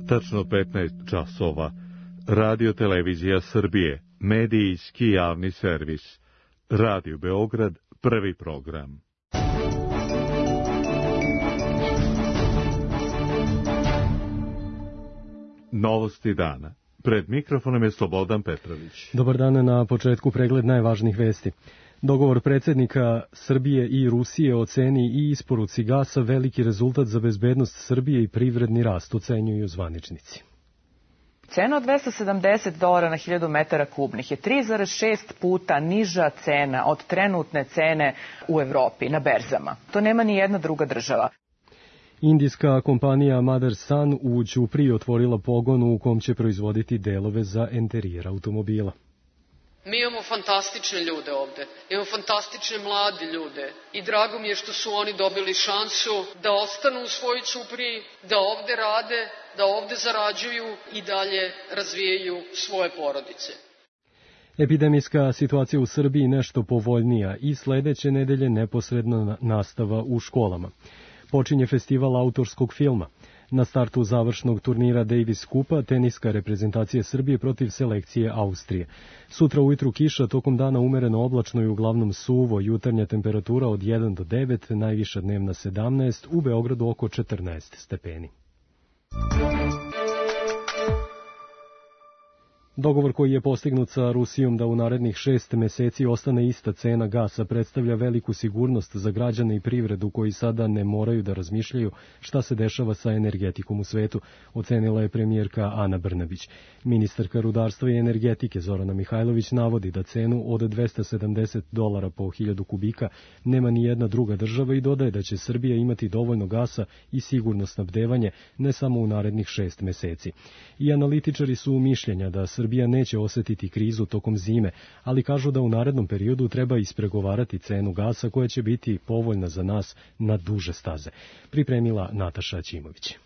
tačno 15 časova. Radio Televizija Srbije, medijski javni servis. Radio Beograd, prvi program. Novosti dana. Pred mikrofonom je Slobodan Petrović. Dobar dan, na početku pregled najvažnijih vesti. Dogovor predsjednika Srbije i Rusije o ceni i isporuci gasa veliki rezultat za bezbednost Srbije i privredni rast, ocenjuju zvaničnici. Cena od $270 na 1000 metara kubnih je 3,6 puta niža cena od trenutne cene u Evropi na berzama. To nema ni jedna druga država. Indijska kompanija Motherson u Ćupriji otvorila pogon u kom će proizvoditi delove za enterijer automobila. Mi imamo fantastične ljude ovde, imamo fantastične mlade ljude i drago mi je što su oni dobili šansu da ostanu u svojoj Ćupriji, da ovde rade, da ovde zarađuju i dalje razvijaju svoje porodice. Epidemijska situacija u Srbiji nešto povoljnija i sledeće nedelje neposredna nastava u školama. Počinje festival autorskog filma. Na startu završnog turnira Davis Kupa teniska reprezentacija Srbije protiv selekcije Austrije. Sutra ujutru kiša, tokom dana umereno oblačno i uglavnom suvo, jutarnja temperatura od 1 do 9, najviša dnevna 17, u Beogradu oko 14 stepeni. Dogovor koji je postignut sa Rusijom da u narednih 6 meseci ostane ista cena gasa predstavlja veliku sigurnost za građane i privredu koji sada ne moraju da razmišljaju šta se dešava sa energetikom u svetu, ocenila je premijerka Ana Brnabić. Ministarka rudarstva i energetike Zorana Mihajlović navodi da cenu od $270 po 1000 kubika nema ni jedna druga država i dodaje da će Srbija imati dovoljno gasa i sigurno snabdevanje ne samo u narednih 6 meseci. I analitičari su mišljenja da Srbija neće osetiti krizu tokom zime, ali kažu da u narednom periodu treba ispregovarati cenu gasa koja će biti povoljna za nas na duže staze. Pripremila Nataša Ćimović.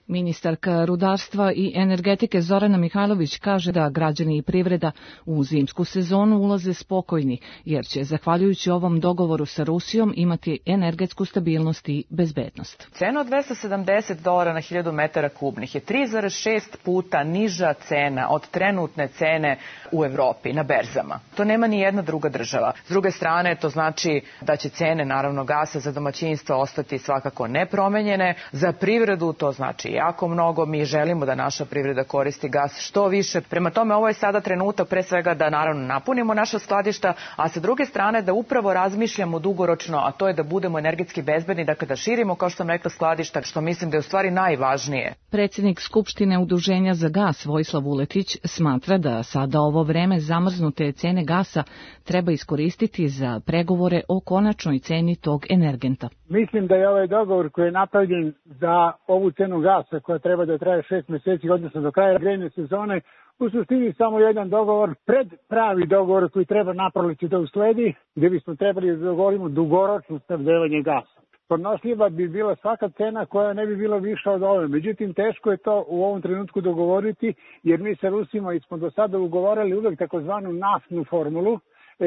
Ministarka rudarstva i energetike Zorana Mihajlović kaže da građani i privreda u zimsku sezonu ulaze spokojni, jer će, zahvaljujući ovom dogovoru sa Rusijom, imati energetsku stabilnost i bezbednost. Cena od $270 na 1000 metara kubnih je 3,6 puta niža cena od trenutne cene u Evropi na berzama. To nema ni jedna druga država. S druge strane, to znači da će cene, naravno, gasa za domaćinstva ostati svakako nepromenjene. Za privredu to znači jako mnogo. Mi želimo da naša privreda koristi gas što više. Prema tome, ovo je sada trenutak pre svega da naravno napunimo naša skladišta, a sa druge strane da upravo razmišljamo dugoročno, a to je da budemo energetski bezbedni, dakle da širimo, kao što sam rekla, skladišta, što mislim da je u stvari najvažnije. Predsjednik Skupštine Udruženja za gas Vojislav Vuletić smatra da sada ovo vreme zamrznute cene gasa treba iskoristiti za pregovore o konačnoj ceni tog energenta. Mislim da je ovaj dogovor koji je napravljen za ovu cenu gasa koja treba da traje 6 meseci, odnosno do kraja grejne sezone, u suštini samo jedan dogovor, pred pravi dogovor koji treba naproleće da usledi, gdje bismo trebali da dogovorimo dugoročno snabdevanje gasa. Podnošljiva bi bila svaka cena koja ne bi bila viša od ove. Međutim, teško je to u ovom trenutku dogovoriti, jer mi sa Rusima smo do sada ugovorili uvek takozvanu naftnu formulu.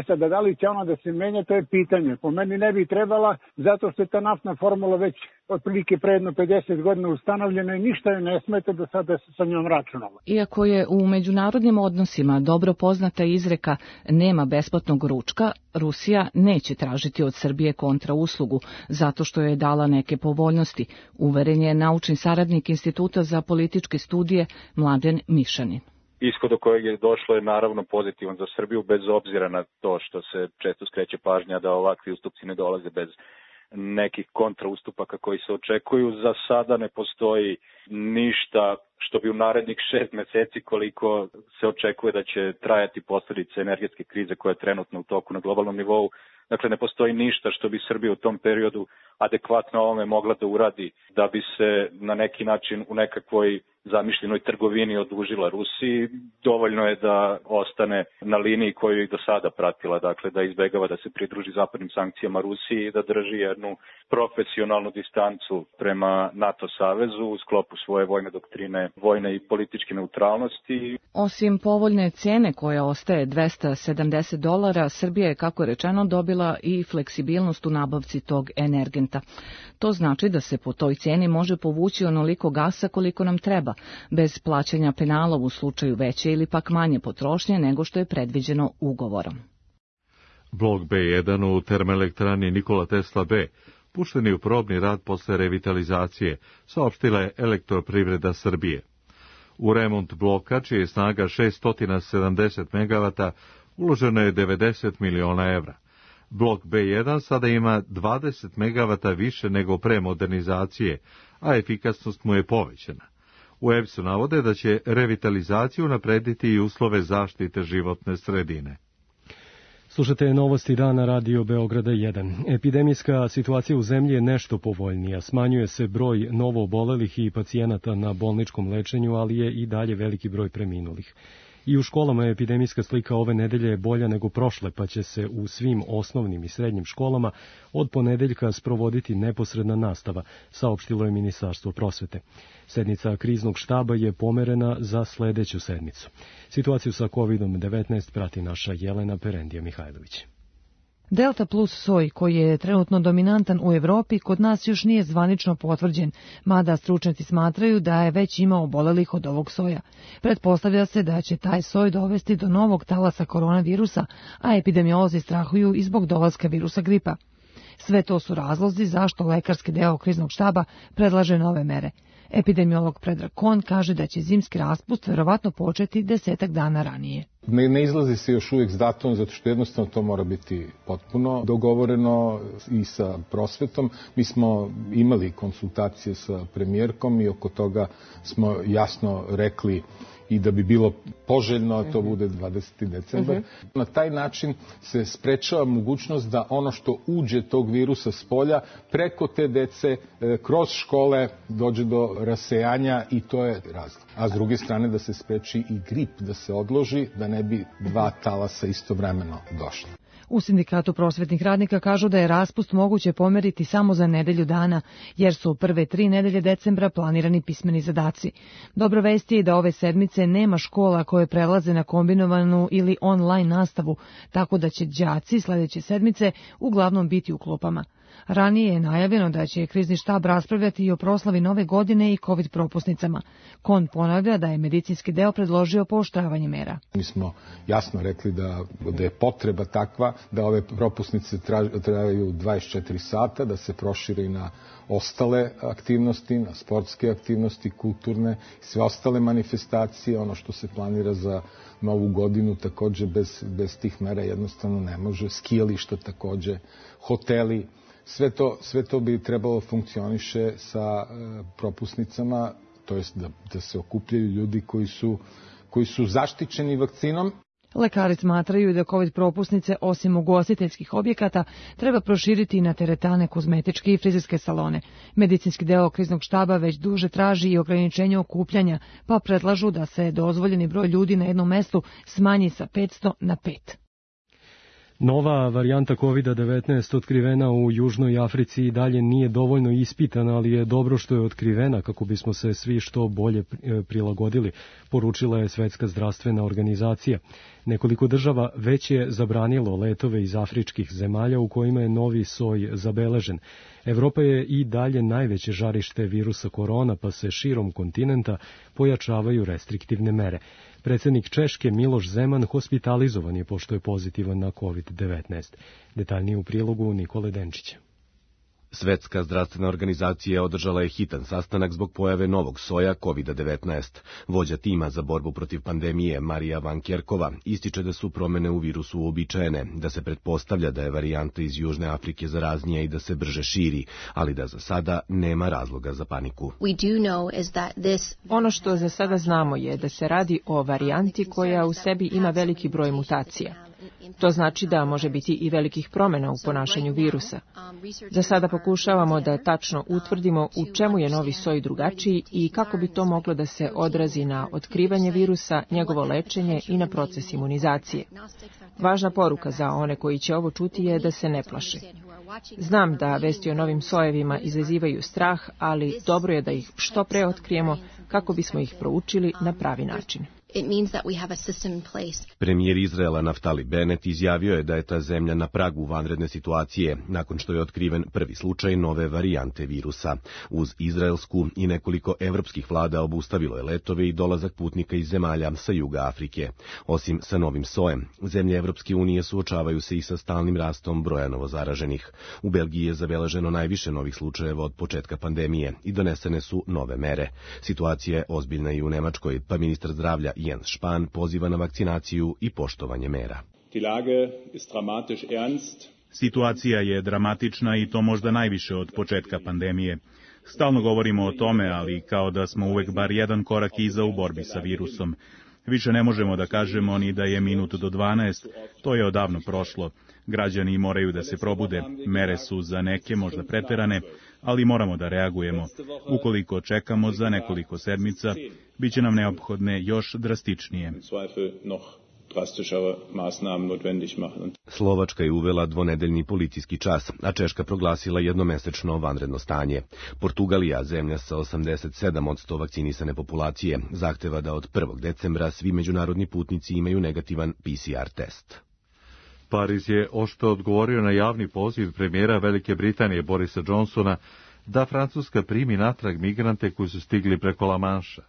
Sad, da li će ona da se menja, to je pitanje. Po meni ne bi trebala, zato što je ta naftna formula već otprilike pre jedno 50 godina ustanovljena i ništa joj ne smeta da sada se sa njom računalo. Iako je u međunarodnim odnosima dobro poznata izreka nema besplatnog ručka, Rusija neće tražiti od Srbije kontrauslugu, zato što je dala neke povoljnosti, uveren je naučni saradnik Instituta za političke studije Mladen Mišanin. Ishod do kojeg je došlo je naravno pozitivan za Srbiju, bez obzira na to što se često skreće pažnja da ovakvi ustupci ne dolaze bez nekih kontraustupaka koji se očekuju. Za sada ne postoji ništa što bi u narednih 6 meseci, koliko se očekuje da će trajati posljedice energetske krize koja je trenutno u toku na globalnom nivou. Dakle, ne postoji ništa što bi Srbija u tom periodu adekvatno ovome mogla da uradi da bi se na neki način u nekakvoj zamišljenoj trgovini odužila Rusiji. Dovoljno je da ostane na liniji koju je do sada pratila, dakle da izbegava da se pridruži zapadnim sankcijama Rusiji i da drži jednu profesionalnu distancu prema NATO savezu u sklopu svoje vojne doktrine potpune vojne i političke neutralnosti. Osim povoljne cene koja ostaje $270, Srbija je, kako je rečeno, dobila i fleksibilnost u nabavci tog energenta. To znači da se po toj cijeni može povući onoliko gasa koliko nam treba, bez plaćanja penala u slučaju veće ili pak manje potrošnje nego što je predviđeno ugovorom. Blok B1 u termoelektrani Nikola Tesla B pušten je u probni rad posle revitalizacije, saopštila je Elektroprivreda Srbije. U remont bloka, čija je snaga 670 MW, uloženo je 90 miliona evra. Blok B1 sada ima 20 MW više nego pre modernizacije, a efikasnost mu je povećana. U EPS-u navode da će revitalizaciju unaprediti i uslove zaštite životne sredine. Slušate novosti dana Radio Beograda 1. Epidemijska situacija u zemlji je nešto povoljnija. Smanjuje se broj novoobolelih i pacijenata na bolničkom lečenju, ali je i dalje veliki broj preminulih. I u školama epidemijska slika ove nedelje je bolja nego prošle, pa će se u svim osnovnim i srednjim školama od ponedeljka sprovoditi neposredna nastava, saopštilo je Ministarstvo prosvete. Sednica kriznog štaba je pomerena za sledeću sedmicu. Situaciju sa COVID-19 prati naša Jelena Perendija Mihajlović. Delta plus soj, koji je trenutno dominantan u Evropi, kod nas još nije zvanično potvrđen, mada stručnjaci smatraju da je već imao obolelih od ovog soja. Pretpostavlja se da će taj soj dovesti do novog talasa koronavirusa, a epidemiolozi strahuju i zbog dolaska virusa gripa. Sve to su razlozi zašto lekarski deo kriznog štaba predlaže nove mere. Epidemiolog Predrag Kon kaže da će zimski raspust verovatno početi 10 dana ranije. Ne izlazi se još uvijek s datumom, zato što jednostavno to mora biti potpuno dogovoreno i sa prosvetom. Mi smo imali konsultacije sa premijerkom i oko toga smo jasno rekli i da bi bilo poželjno, to bude 20. decembar. Na taj način se sprečava mogućnost da ono što uđe tog virusa s polja preko te dece kroz škole dođe do rasejanja i to je razlog. A s druge strane da se spreči i grip, da se odloži, da ne bi dva talasa istovremeno došla. U Sindikatu prosvetnih radnika kažu da je raspust moguće pomeriti samo za nedelju dana, jer su prve 3 nedelje decembra planirani pismeni zadaci. Dobro vest je da ove sedmice nema škola koje prelaze na kombinovanu ili online nastavu, tako da će đaci sledeće sedmice uglavnom biti u klupama. Ranije je najavljeno da će krizni štab raspravljati i o proslavi nove godine i COVID propusnicama. Kon ponavlja da je medicinski deo predložio pooštravanje mera. Mi smo jasno rekli da je potreba takva da ove propusnice traju 24 sata, da se prošire i na ostale aktivnosti, na sportske aktivnosti, kulturne, sve ostale manifestacije, ono što se planira za novu godinu takođe bez tih mera jednostavno ne može, skijališta takođe, hoteli. Sve to bi trebalo funkcioniše sa propusnicama, to jest da se okupljaju ljudi koji su zaštićeni vakcinom. Lekari smatraju da COVID propusnice, osim ugostiteljskih objekata, treba proširiti i na teretane, kozmetičke i frizerske salone. Medicinski deo kriznog štaba već duže traži i ograničenje okupljanja, pa predlažu da se dozvoljeni broj ljudi na jednom mestu smanji sa 500 na 5. Nova varijanta COVID-19 otkrivena u Južnoj Africi i dalje nije dovoljno ispitana, ali je dobro što je otkrivena kako bismo se svi što bolje prilagodili, poručila je Svetska zdravstvena organizacija. Nekoliko država već je zabranilo letove iz afričkih zemalja u kojima je novi soj zabeležen. Evropa je i dalje najveće žarište virusa korona, pa se širom kontinenta pojačavaju restriktivne mere. Predsjednik Češke Miloš Zeman hospitalizovan je pošto je pozitivan na COVID-19. Detaljnije u prilogu Nikole Denčića. Svetska zdravstvena organizacija održala je hitan sastanak zbog pojave novog soja COVID-19. Vođa tima za borbu protiv pandemije Marija Van Kerkova ističe da su promene u virusu uobičajene, da se pretpostavlja da je varijanta iz Južne Afrike zaraznija i da se brže širi, ali da za sada nema razloga za paniku. Ono što za sada znamo je da se radi o varijanti koja u sebi ima veliki broj mutacija. To znači da može biti i velikih promjena u ponašanju virusa. Za sada pokušavamo da tačno utvrdimo u čemu je novi soj drugačiji i kako bi to moglo da se odrazi na otkrivanje virusa, njegovo lečenje i na proces imunizacije. Važna poruka za one koji će ovo čuti je da se ne plaše. Znam da vesti o novim sojevima izazivaju strah, ali dobro je da ih što pre otkrijemo kako bismo ih proučili na pravi način. Premijer Izraela Naftali Bennett izjavio je da je ta zemlja na pragu vanredne situacije, nakon što je otkriven prvi slučaj nove varijante virusa. Uz izraelsku i nekoliko evropskih vlada obustavilo je letove i dolazak putnika iz zemalja sa juga Afrike. Osim sa novim sojem, zemlje Evropske unije suočavaju se i sa stalnim rastom broja novozaraženih. U Belgiji je zabeleženo najviše novih slučajeva od početka pandemije i donesene su nove mere. Situacija je ozbiljna i u Nemačkoj, pa ministar zdravlja Jens Spahn poziva na vakcinaciju i poštovanje mera. Situacija je dramatična i to možda najviše od početka pandemije. Stalno govorimo o tome, ali kao da smo uvek bar jedan korak iza u borbi sa virusom. Više ne možemo da kažemo ni da je minut do 12, to je odavno prošlo. Građani moraju da se probude, mere su za neke možda preterane, ali moramo da reagujemo. Ukoliko čekamo za nekoliko sedmica, bit će nam neophodne još drastičnije. Slovačka je uvela dvonedeljni policijski čas, a Češka proglasila jednomesečno vanredno stanje. Portugalija, zemlja sa 87% vakcinisane populacije, zahteva da od 1. decembra svi međunarodni putnici imaju negativan PCR test. Pariz je oštro odgovorio na javni poziv premijera Velike Britanije Borisa Johnsona da Francuska primi natrag migrante koji su stigli preko La Manša.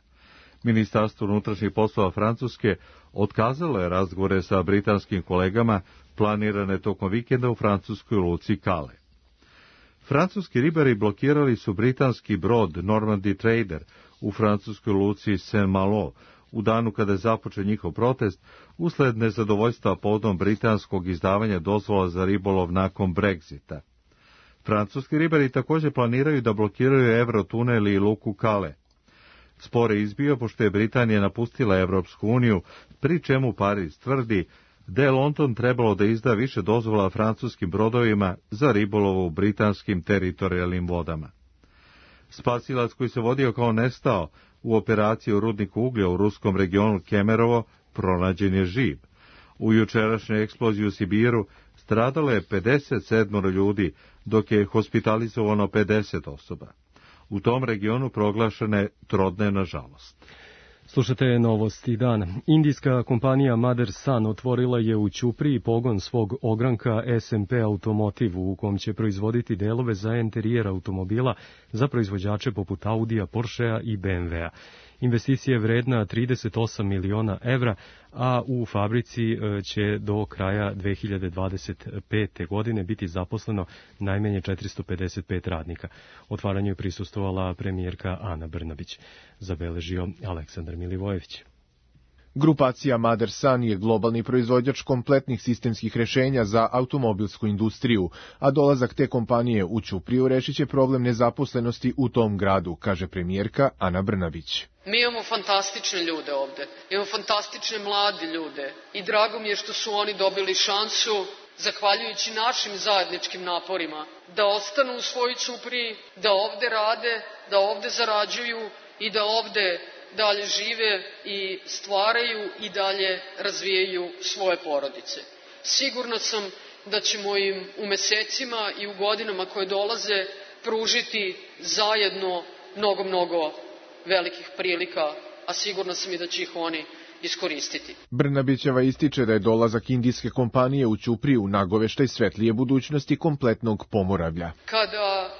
Ministarstvo unutrašnjih poslova Francuske otkazalo je razgovore sa britanskim kolegama planirane tokom vikenda u francuskoj luci Calais. Francuski ribari blokirali su britanski brod Normandy Trader u francuskoj luci Saint-Malo u danu kada je započeo njihov protest usled nezadovoljstva povodom britanskog izdavanja dozvola za ribolov nakon Brexita. Francuski ribari također planiraju da blokiraju Eurotunel i luku Calais. Spor je izbio pošto je Britanija napustila Evropsku uniju, pri čemu Pariz tvrdi da je London trebalo da izda više dozvola francuskim brodovima za ribolov u britanskim teritorijalnim vodama. Spasilac koji se vodio kao nestao u operaciji u rudniku uglja u ruskom regionu Kemerovo pronađen je živ. U jučerašnjoj eksploziji u Sibiru stradalo je 57 ljudi, dok je hospitalizovano 50 osoba. U tom regionu proglašena je trodnevna žalost. Slušate novosti dana. Indijska kompanija Mother Son otvorila je u Ćupriji pogon svog ogranka SMP Automotive u kom će proizvoditi delove za enterijer automobila za proizvođače poput Audija, Porschea i BMW-a. Investicija je vredna 38 miliona evra, a u fabrici će do kraja 2025. godine biti zaposleno najmanje 455 radnika. Otvaranju je prisustvovala premijerka Ana Brnabić, zabeležio Aleksandar Milivojević. Grupacija Mother Son je globalni proizvođač kompletnih sistemskih rešenja za automobilsku industriju, a dolazak te kompanije u Ćupriju rešit će problem nezaposlenosti u tom gradu, kaže premijerka Ana Brnabić. Mi imamo fantastične ljude ovde, imamo fantastične mlade ljude i drago mi je što su oni dobili šansu, zahvaljujući našim zajedničkim naporima, da ostanu u svojoj Ćupriji, da ovde rade, da ovde zarađuju i da ovde dalje žive i stvaraju i dalje razvijaju svoje porodice. Sigurna sam da ćemo im u mesecima i u godinama koje dolaze pružiti zajedno mnogo velikih prilika, a sigurna sam i da će ih oni iskoristiti. Brnabićeva ističe da je dolazak indijske kompanije u Ćupriju nagoveštaj svetlije budućnosti kompletnog Pomoravlja. Kada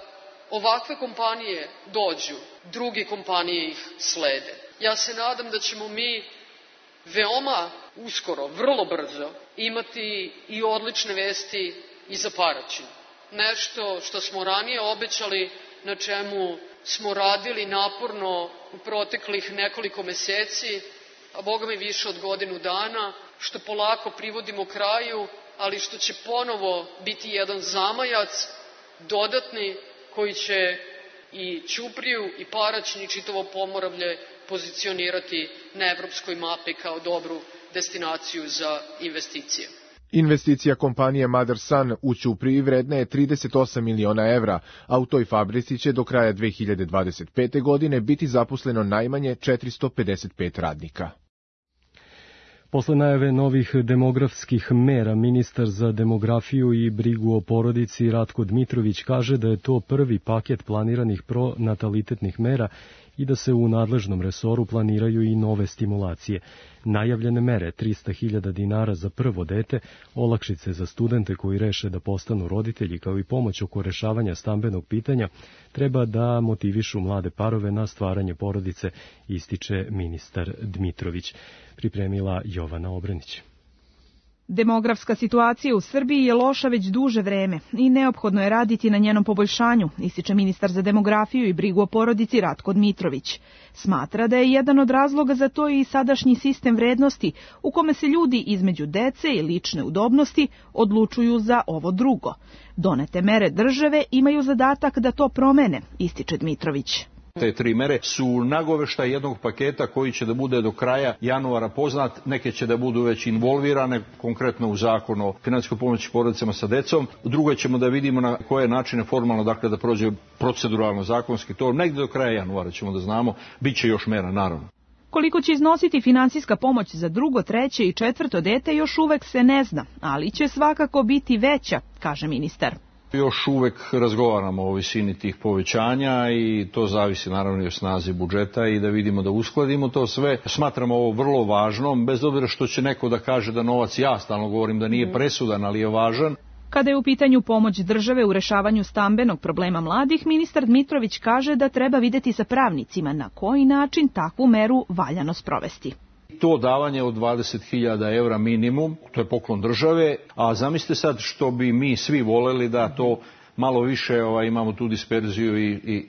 ovakve kompanije dođu, druge kompanije ih slede. Ja se nadam da ćemo mi veoma uskoro, vrlo brzo, imati i odlične vesti i za Paraćin. Nešto što smo ranije obećali, na čemu smo radili naporno u proteklih nekoliko meseci, a boga mi više od godinu dana, što polako privodimo kraju, ali što će ponovo biti jedan zamajac, dodatni, koji će i Ćupriju i Paraćin i čitavo Pomoravlje pozicionirati na evropskoj mapi kao dobru destinaciju za investicije. Investicija kompanije Mother Son u Ćupriji vredna je 38 miliona evra, a u toj fabrici će do kraja 2025. godine biti zaposleno najmanje 455 radnika. Posle najave novih demografskih mera, ministar za demografiju i brigu o porodici Ratko Dmitrović kaže da je to prvi paket planiranih pronatalitetnih mera i da se u nadležnom resoru planiraju i nove stimulacije. Najavljene mere 300.000 dinara za prvo dete, olakšice za studente koji reše da postanu roditelji, kao i pomoć oko rešavanja stambenog pitanja, treba da motivišu mlade parove na stvaranje porodice, ističe ministar Dmitrović. Pripremila Jovana Obrenić. Demografska situacija u Srbiji je loša već duže vreme i neophodno je raditi na njenom poboljšanju, ističe ministar za demografiju i brigu o porodici Ratko Dmitrović. Smatra da je jedan od razloga za to i sadašnji sistem vrednosti u kome se ljudi između dece i lične udobnosti odlučuju za ovo drugo. Donete mere države imaju zadatak da to promene, ističe Dmitrović. Te tri mere su nagoveštaj jednog paketa koji će da bude do kraja januara poznat, neke će da budu već involvirane, konkretno u zakon o finansijskoj pomoći porodicama sa decom, drugo ćemo da vidimo na koje načine formalno, dakle da prođe proceduralno zakonski, to negde do kraja januara ćemo da znamo, bit će još mera naravno. Koliko će iznositi finansijska pomoć za drugo, treće i četvrto dete još uvek se ne zna, ali će svakako biti veća, kaže ministar. Još uvek razgovaramo o visini tih povećanja i to zavisi naravno i o snazi budžeta i da vidimo da uskladimo to sve. Smatramo ovo vrlo važnom, bez obzira što će neko da kaže da novac, ja stalno govorim da nije presudan, ali je važan. Kada je u pitanju pomoć države u rešavanju stambenog problema mladih, ministar Dmitrović kaže da treba videti sa pravnicima na koji način takvu meru valjano sprovesti. To davanje od 20.000 evra minimum, to je poklon države, a zamislite sad što bi mi svi voleli da to malo više imamo tu disperziju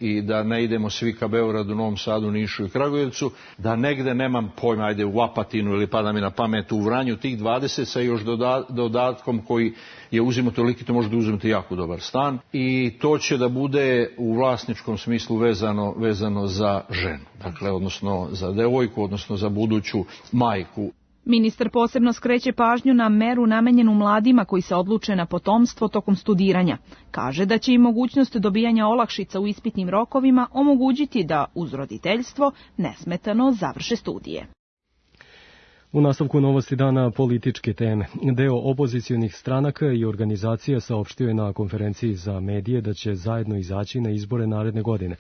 i da ne idemo svi ka Beogradu, Novom Sadu, Nišu i Kragujevcu, da negde nemam pojma, ajde u Apatinu ili pada mi na pamet u Vranju, tih 20 sa još dodatkom koji je uzimo toliki, to može da uzmete jako dobar stan i to će da bude u vlasničkom smislu vezano za ženu, dakle odnosno za devojku, odnosno za buduću majku. Ministar posebno skreće pažnju na meru namenjenu mladima koji se odluče na potomstvo tokom studiranja. Kaže da će im mogućnost dobijanja olakšica u ispitnim rokovima omogućiti da uz roditeljstvo nesmetano završe studije. U nastavku novosti dana političke teme. Deo opozicionih stranaka i organizacija saopštio je na konferenciji za medije da će zajedno izaći na izbore naredne godine.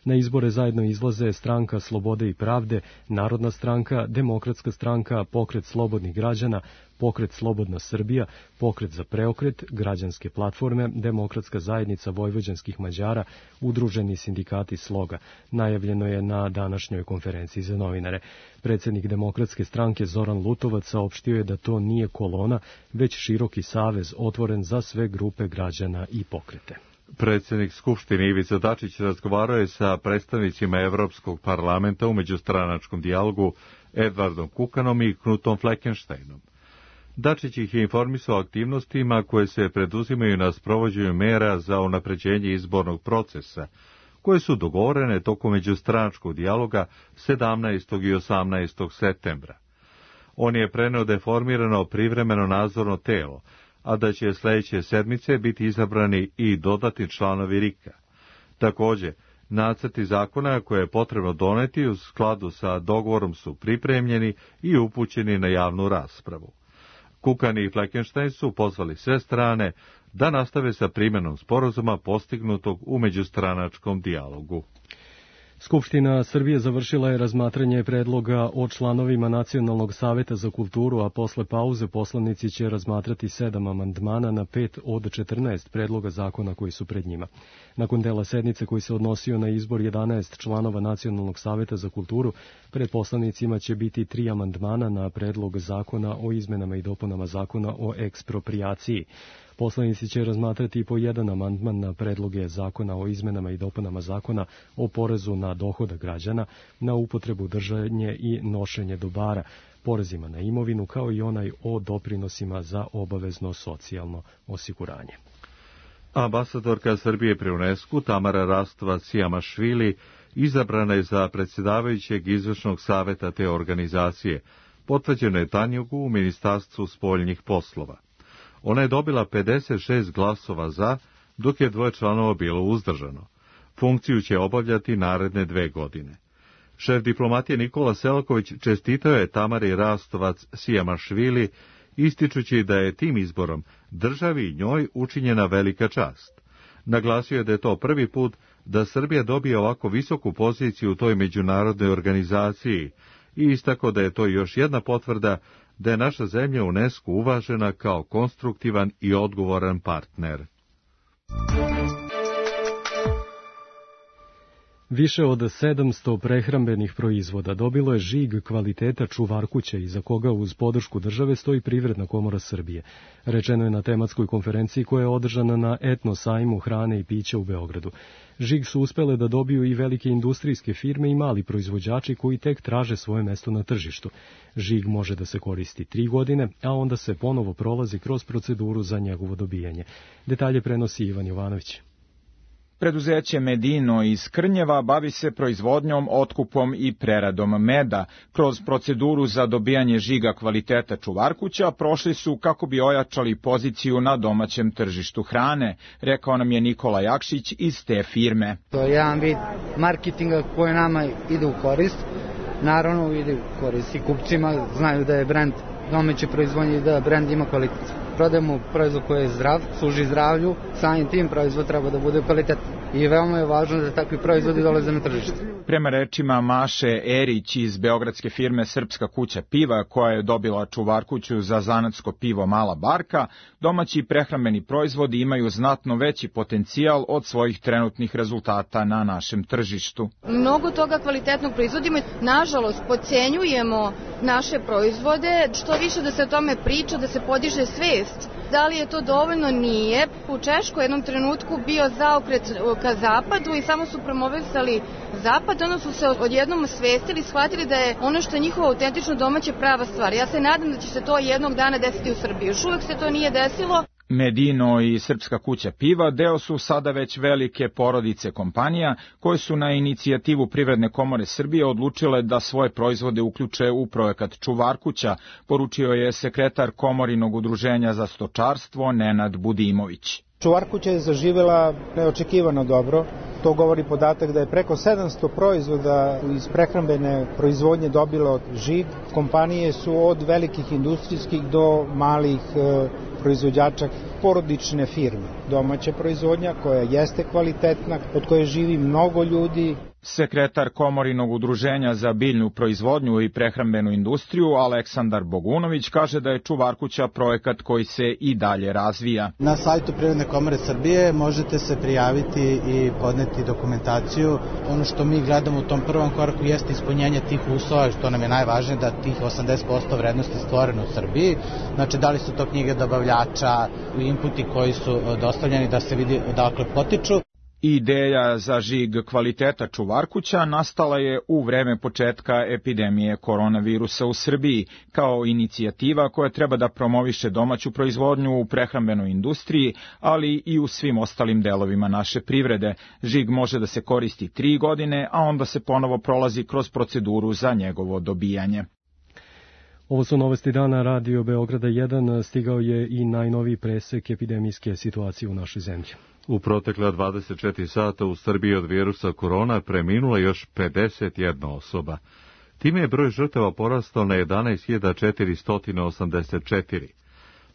Na izbore zajedno izlaze Stranka slobode i pravde, Narodna stranka, Demokratska stranka, Pokret slobodnih građana, Pokret Slobodna Srbija, Pokret za preokret, Građanske platforme, Demokratska zajednica vojvođanskih Mađara, Udruženi sindikati Sloga. Najavljeno je na današnjoj konferenciji za novinare. Predsjednik Demokratske stranke Zoran Lutovac saopštio je da to nije kolona, već široki savez otvoren za sve grupe građana i pokrete. Predsjednik Skupštine Ivica Dačić razgovarao je sa predstavnicima Evropskog parlamenta u međustranačkom dijalogu Edvardom Kukanom i Knutom Fleckensteinom. Dačić ih je informisao o aktivnostima koje se preduzimaju na sprovođenju mera za unapređenje izbornog procesa, koje su dogovorene tokom međustranačkog dijaloga 17. i 18. septembra. On je preneo da je formirano privremeno nadzorno telo, a da će sljedeće sedmice biti izabrani i dodatni članovi RIK-a. Također, nacrti zakona koje je potrebno doneti u skladu sa dogovorom su pripremljeni i upućeni na javnu raspravu. Kukan i Fleckenstein su pozvali sve strane da nastave sa primjenom sporazuma postignutog u međustranačkom dijalogu. Skupština Srbije završila je razmatranje predloga o članovima Nacionalnog saveta za kulturu, a posle pauze poslanici će razmatrati 7 amandmana na 5 od 14 predloga zakona koji su pred njima. Nakon dela sednice koji se odnosio na izbor 11 članova Nacionalnog saveta za kulturu, pred poslanicima će biti 3 amandmana na predlog zakona o izmenama i dopunama zakona o eksproprijaciji. Poslanici će razmatrati po jedan amandman na predloge zakona o izmenama i dopunama zakona o porezu na dohodak građana, na upotrebu, držanje i nošenje dobara, porezima na imovinu, kao i onaj o doprinosima za obavezno socijalno osiguranje. Ambasadorka Srbije pri UNESCO Tamara Rastova-Cijamašvili izabrana je za predsjedavajućeg izvršnog saveta te organizacije. Potvrđeno je Tanjugu u Ministarstvu spoljnih poslova. Ona je dobila 56 glasova za, dok je 2 članova bilo uzdržano. Funkciju će obavljati naredne 2 godine. Šef diplomatije Nikola Selaković čestitao je Tamari Rastovac Sijamašvili, ističući da je tim izborom državi i njoj učinjena velika čast. Naglasio je da je to prvi put da Srbija dobije ovako visoku poziciju u toj međunarodnoj organizaciji i istakao da je to još jedna potvrda da je naša zemlja u UNESCO uvažena kao konstruktivan i odgovoran partner. Više od 700 prehrambenih proizvoda dobilo je žig kvaliteta čuvarkuća, iza koga uz podršku države stoji Privredna komora Srbije. Rečeno je na tematskoj konferenciji koja je održana na Etno sajmu hrane i pića u Beogradu. Žig su uspele da dobiju i velike industrijske firme i mali proizvođači koji tek traže svoje mesto na tržištu. Žig može da se koristi 3 godine, a onda se ponovo prolazi kroz proceduru za njegovo dobijanje. Detalje prenosi Ivan Jovanović. Preduzeće Medino iz Krnjeva bavi se proizvodnjom, otkupom i preradom meda. Kroz proceduru za dobijanje žiga kvaliteta čuvarkuća prošli su kako bi ojačali poziciju na domaćem tržištu hrane, rekao nam je Nikola Jakšić iz te firme. To je jedan vid marketinga koji nama ide u korist, naravno ide u korist i kupcima, znaju da je brend domaće proizvodnje i da brend ima kvalitet. Prodajemo proizvod koji je zdrav, služi zdravlju, samim tim proizvod treba da bude kvalitetan. I veoma je važno da takvi proizvodi dolaze na tržište. Prema rečima Maše Erić iz beogradske firme Srpska kuća piva, koja je dobila čuvarkuću za zanatsko pivo Mala Barka, domaći prehrambeni proizvodi imaju znatno veći potencijal od svojih trenutnih rezultata na našem tržištu. Mnogo toga kvalitetnog proizvodimo. Nažalost, podcenjujemo naše proizvode. Što više da se o tome priča, da se podiže svest. Da li je to dovoljno? Nije. U Češkoj jednom trenutku bio zaokret ka zapadu i samo su promovisali zapad, onda su se odjednom svestili, shvatili da je ono što je njihovo autentično domaće prava stvar. Ja se nadam da će se to jednog dana desiti u Srbiji. Još uvek se to nije desilo. Medino i Srpska kuća piva deo su sada već velike porodice kompanija koje su na inicijativu Privredne komore Srbije odlučile da svoje proizvode uključe u projekat Čuvarkuća, poručio je sekretar Komorinog udruženja za stočarstvo Nenad Budimović. Čuvarkuća je zaživela neočekivano dobro. To govori podatak da je preko 700 proizvoda iz prehrambene proizvodnje dobilo žig. Kompanije su od velikih industrijskih do malih proizvođača, porodične firme. Domaća proizvodnja koja jeste kvalitetna, od koje živi mnogo ljudi. Sekretar Komorinog udruženja za biljnu proizvodnju i prehrambenu industriju Aleksandar Bogunović kaže da je Čuvarkuća projekat koji se i dalje razvija. Na sajtu Privredne komore Srbije možete se prijaviti i podneti dokumentaciju. Ono što mi gledamo u tom prvom koraku jeste ispunjenje tih uslova, što nam je najvažnije, da tih 80% vrednosti je stvoreno u Srbiji. Znači, da li su to knjige dobavljača, inputi koji su dostavljeni, da se vidi odakle potiču. Ideja za žig kvaliteta Čuvarkuća nastala je u vreme početka epidemije koronavirusa u Srbiji, kao inicijativa koja treba da promoviše domaću proizvodnju u prehrambenoj industriji, ali i u svim ostalim delovima naše privrede. Žig može da se koristi 3 godine, a onda se ponovo prolazi kroz proceduru za njegovo dobijanje. Ovo su novosti dana Radio Beograda 1. Stigao je i najnoviji presek epidemijske situacije u našoj zemlji. U protekla 24 sata u Srbiji od virusa korona preminula još 51 osoba. Time je broj žrtava porastao na 11.484.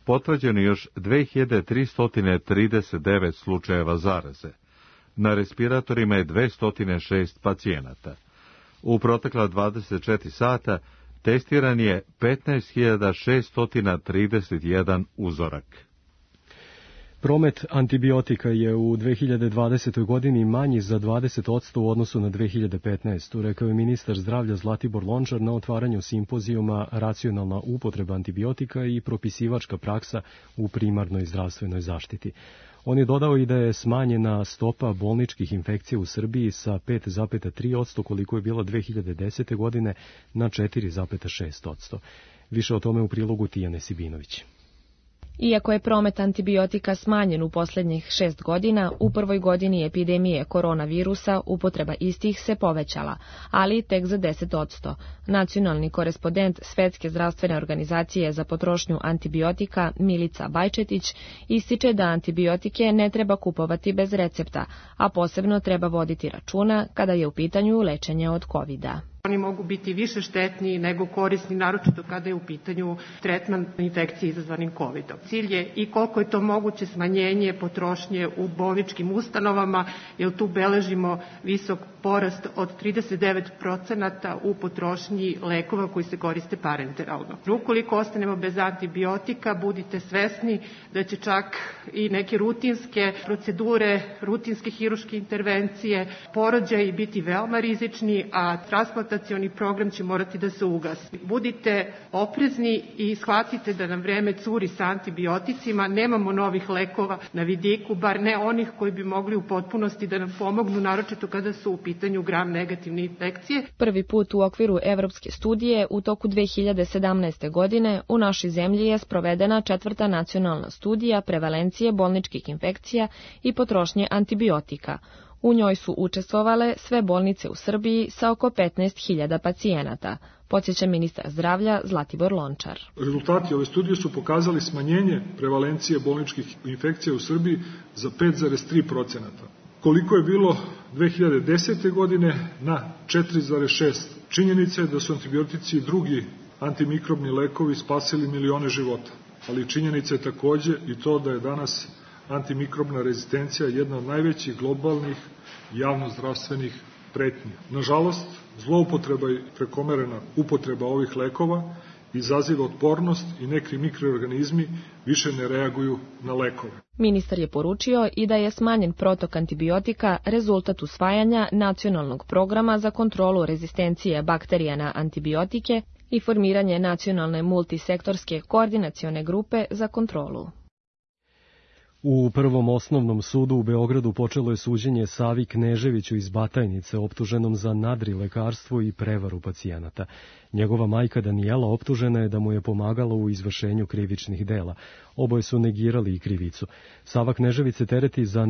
Potvrđeno još 2339 slučajeva zaraze. Na respiratorima je 206 pacijenata. U protekla 24 sata testiran je 15.631 uzorak. Promet antibiotika je u 2020. godini manji za 20% u odnosu na 2015. Rekao je ministar zdravlja Zlatibor Lončar na otvaranju simpozijuma Racionalna upotreba antibiotika i propisivačka praksa u primarnoj zdravstvenoj zaštiti. On je dodao i da je smanjena stopa bolničkih infekcija u Srbiji sa 5,3% koliko je bila 2010. godine na 4,6%. Više o tome u prilogu Tijane Sibinović. Iako je promet antibiotika smanjen u posljednjih 6 godina, u prvoj godini epidemije koronavirusa upotreba istih se povećala, ali tek za 10%. Nacionalni korespondent Svetske zdravstvene organizacije za potrošnju antibiotika Milica Bajčetić ističe da antibiotike ne treba kupovati bez recepta, a posebno treba voditi računa kada je u pitanju lečenje od COVID-a. Oni mogu biti više štetni nego korisni, naročito kada je u pitanju tretman infekcije izazvanim COVID-om. Cilj je i koliko je to moguće smanjenje potrošnje u bolničkim ustanovama, jer tu beležimo visok porast od 39% u potrošnji lekova koji se koriste parenteralno. Ukoliko ostanemo bez antibiotika, budite svesni da će čak i neke rutinske procedure, rutinske hiruške intervencije, porođaji biti veoma rizični, a transplantacioni program će morati da se ugasi. Budite oprezni i shvatite da nam vreme curi sa antibioticima, nemamo novih lekova na vidiku, bar ne onih koji bi mogli u potpunosti da nam pomognu, naročito kada su u pitanju gram negativne infekcije. Prvi put u okviru evropske studije u toku 2017. godine u našoj zemlji je sprovedena 4. nacionalna studija prevalencije bolničkih infekcija i potrošnje antibiotika. U njoj su učestvovale sve bolnice u Srbiji sa oko 15.000 pacijenata, podsjeća ministar zdravlja Zlatibor Lončar. Rezultati ove studije su pokazali smanjenje prevalencije bolničkih infekcija u Srbiji za 5,3%. Koliko je bilo 2010. godine na 4,6%. Činjenica je da su antibiotici i drugi antimikrobni lekovi spasili milione života, ali činjenica je takođe i to da je danas antimikrobna rezistencija jedna od najvećih globalnih javnozdravstvenih pretnji. Nažalost, zloupotreba i prekomerena upotreba ovih lekova izaziva otpornost i neki mikroorganizmi više ne reaguju na lekove. Ministar je poručio i da je smanjen protok antibiotika rezultat usvajanja nacionalnog programa za kontrolu rezistencije bakterija na antibiotike i formiranje nacionalne multisektorske koordinacione grupe za kontrolu. U Prvom osnovnom sudu u Beogradu počelo je suđenje Savi Kneževiću iz Batajnice, optuženom za nadrilekarstvo i prevaru pacijenata. Njegova majka Danijela optužena je da mu je pomagala u izvršenju krivičnih dela. Oboje su negirali i krivicu. Sava Knežević se tereti za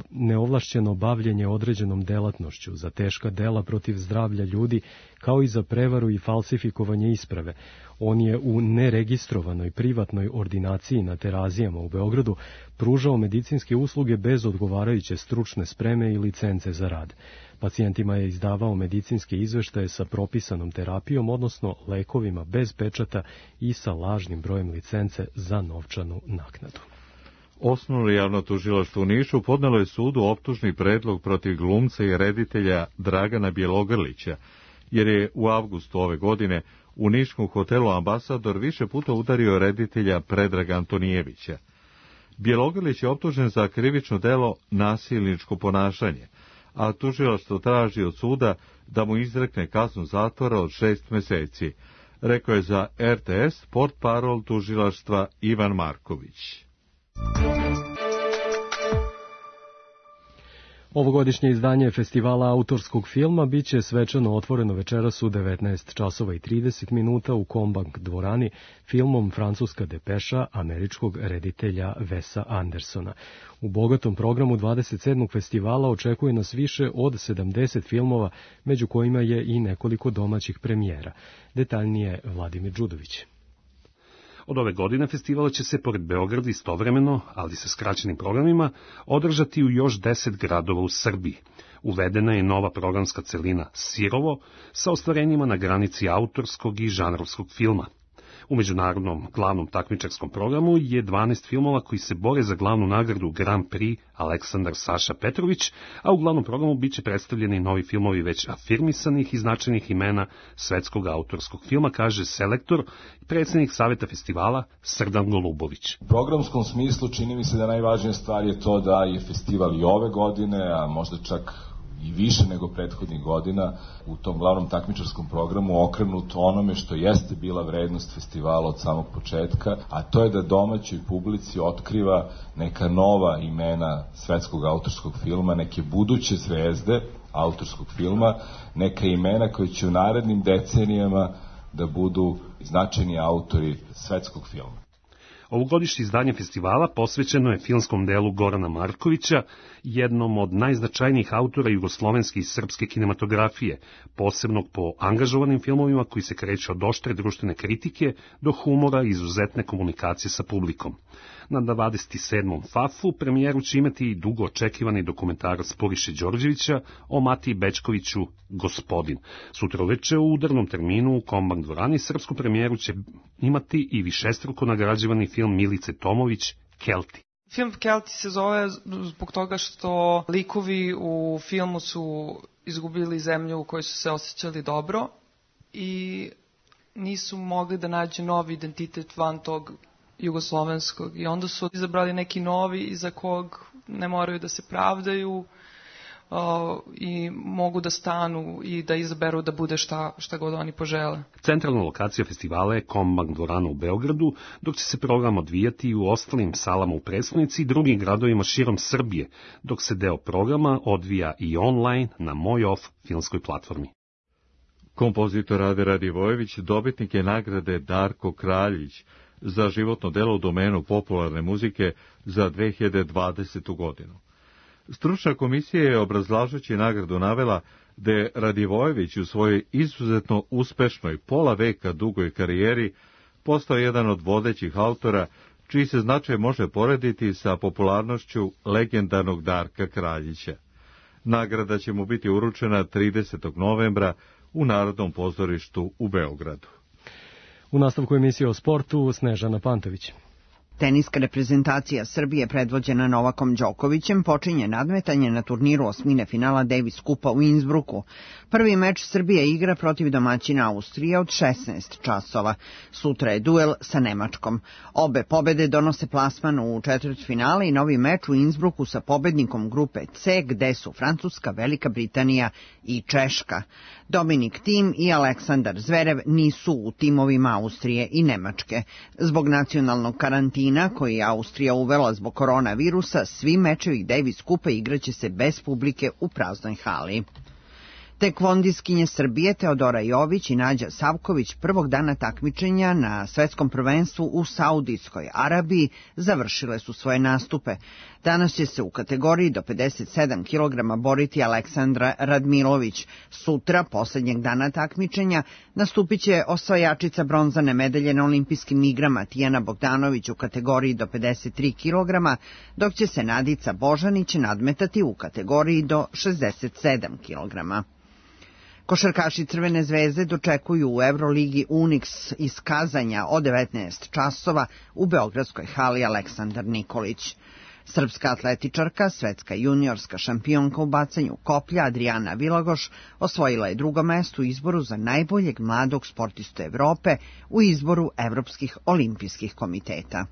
neovlašćeno bavljenje određenom delatnošću, za teška dela protiv zdravlja ljudi, kao i za prevaru i falsifikovanje isprave. On je u neregistrovanoj privatnoj ordinaciji na Terazijama u Beogradu pružao medicinske usluge bez odgovarajuće stručne spreme i licence za rad. Pacijentima je izdavao medicinske izveštaje sa propisanom terapijom, odnosno lekovima bez pečata i sa lažnim brojem licence za novčanu naknadu. Osnovno javno tužilaštvo u Nišu podnelo je sudu optužni predlog protiv glumca i reditelja Dragana Bjelogrlića, jer je u avgustu ove godine u niškom hotelu Ambasador više puta udario reditelja Predraga Antonijevića. Bjelogrlić je optužen za krivično delo nasilničko ponašanje, a tužilaštvo traži od suda da mu izrekne kaznu zatvora od 6 meseci, rekao je za RTS portparol tužilaštva Ivan Marković. Ovogodišnje izdanje Festivala autorskog filma biće svečano otvoreno večeras u 19:30 u Kombank dvorani filmom Francuska depeša američkog reditelja Wesa Andersona. U bogatom programu 27. festivala očekuje nas više od 70 filmova, među kojima je i nekoliko domaćih premijera. Detaljnije Vladimir Đudović. Od ove godine festival će se pored Beograda istovremeno, ali sa skraćenim programima, održati u još 10 gradova u Srbiji. Uvedena je nova programska celina Sirovo sa ostvarenjima na granici autorskog i žanrovskog filma. U međunarodnom glavnom takmičarskom programu je 12 filmova koji se bore za glavnu nagradu Grand Prix Aleksandar Saša Petrović, a u glavnom programu biće predstavljeni novi filmovi već afirmisanih i značajnih imena svetskog autorskog filma, kaže selektor i predsjednik Saveta festivala Srdan Golubović. U programskom smislu čini mi se da najvažnija stvar je to da je festival i ove godine, a možda čak i više nego prethodnih godina u tom glavnom takmičarskom programu okrenut onome što jeste bila vrednost festivala od samog početka, a to je da domaćoj publici otkriva neka nova imena svetskog autorskog filma, neke buduće zvezde autorskog filma, neka imena koje će u narednim decenijama da budu značajni autori svetskog filma. Ovogodišnje izdanje festivala posvećeno je filmskom delu Gorana Markovića, jednom od najznačajnijih autora jugoslovenske i srpske kinematografije, posebnog po angažovanim filmovima koji se kreću od oštre društvene kritike do humora i izuzetne komunikacije sa publikom. Na 27. FAF-u premijeru će imati i dugo očekivani dokumentarac Puriše Đorđevića o Matiji Bečkoviću Gospodin. Sutra uveče u udarnom terminu u Kombank dvorani srpsku premijeru će imati i višestruko nagrađivani film Milice Tomović Kelti. Film Kelti se zove zbog toga što likovi u filmu su izgubili zemlju u kojoj su se osjećali dobro i nisu mogli da nađu novi identitet van tog jugoslovenskog i onda su izabrali neki novi iza kog ne moraju da se pravdaju i mogu da stanu i da izaberu da bude šta god oni požele. Centralna lokacija festivala je Kombank dvorana u Beogradu, dok će se program odvijati i u ostalim salama u prestonici i drugim gradovima širom Srbije, dok se deo programa odvija i online na Moj Off filmskoj platformi. Kompozitor Rade Radivojević dobitnik je nagrade Darko Kraljić za životno delo u domenu popularne muzike za 2020. godinu. Stručna komisija je obrazlažući nagradu navela da je Radivojević u svojoj izuzetno uspešnoj pola veka dugoj karijeri postao jedan od vodećih autora čiji se značaj može porediti sa popularnošću legendarnog Darka Kraljića. Nagrada će mu biti uručena 30. novembra u Narodnom pozorištu u Beogradu. U nastavku emisije o sportu Snežana Pantović. Teniska reprezentacija Srbije predvođena Novakom Đokovićem počinje nadmetanje na turniru osmine finala Davis Kupa u Innsbrucku. Prvi meč Srbije igra protiv domaćina Austrije od 16 časova. Sutra je duel sa Nemačkom. Obe pobede donose plasman u četvrtfinale i novi meč u Innsbrucku sa pobednikom grupe C, gde su Francuska, Velika Britanija i Češka. Dominik Thiem i Aleksandar Zverev nisu u timovima Austrije i Nemačke. Zbog nacionalnog karantina koji je Austrija uvela zbog koronavirusa, svi mečevi Davis Kupa igraće se bez publike u praznoj hali. Tekvondiskinje Srbije Teodora Jović i Nađa Savković prvog dana takmičenja na svetskom prvenstvu u Saudijskoj Arabiji završile su svoje nastupe. Danas će se u kategoriji do 57 kg boriti Aleksandra Radmilović. Sutra, poslednjeg dana takmičenja, nastupit će osvajačica bronzane medalje na olimpijskim igrama Tijana Bogdanović u kategoriji do 53 kg, dok će se Nadica Božanić nadmetati u kategoriji do 67 kg. Košarkaši Crvene zvezde dočekuju u Euroligi Unix iz Kazanja od 19 časova u beogradskoj hali Aleksandar Nikolić. Srpska atletičarka, svetska juniorska šampionka u bacanju koplja Adriana Vilagoš osvojila je drugo mesto u izboru za najboljeg mladog sportistu Evrope u izboru Evropskih olimpijskih komiteta.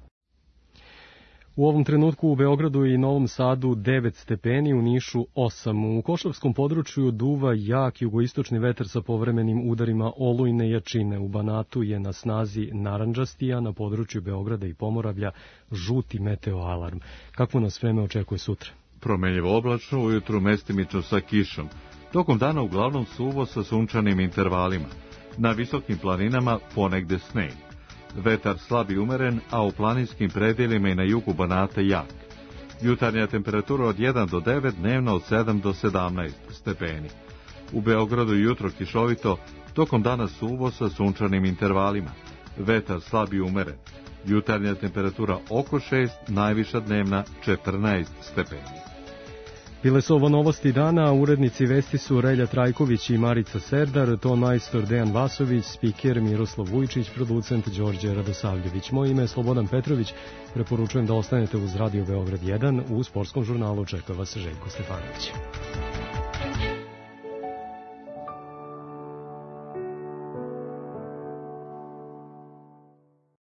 U ovom trenutku u Beogradu i Novom Sadu 9 stepeni, u Nišu 8. U Košavskom području duva jak jugoistočni vetar sa povremenim udarima olujne jačine. U Banatu je na snazi narandžasti, a na području Beograda i Pomoravlja žuti meteoalarm. Kakvo nas vreme očekuje sutra? Promenljivo oblačno, ujutru mestimično sa kišom. Tokom dana uglavnom suvo sa sunčanim intervalima. Na visokim planinama ponegde sneg. Vetar slab i umeren, a u planinskim predelima i na jugu Banata jak. Jutarnja temperatura od 1 do 9, dnevno od 7 do 17 stepeni. U Beogradu jutro kišovito, tokom dana suvo sa sunčanim intervalima. Vetar slab i umeren. Jutarnja temperatura oko 6, najviša dnevna 14 stepeni. Bile su ovo novosti dana, urednici vesti su Relja Trajković i Marica Serdar, ton majstor Dejan Vasović, spiker Miroslav Vujčić, producent Đorđe Radosavljević. Moje ime je Slobodan Petrović, preporučujem da ostanete uz Radio Beograd 1, u sportskom žurnalu čeka vas Željko Stefanović.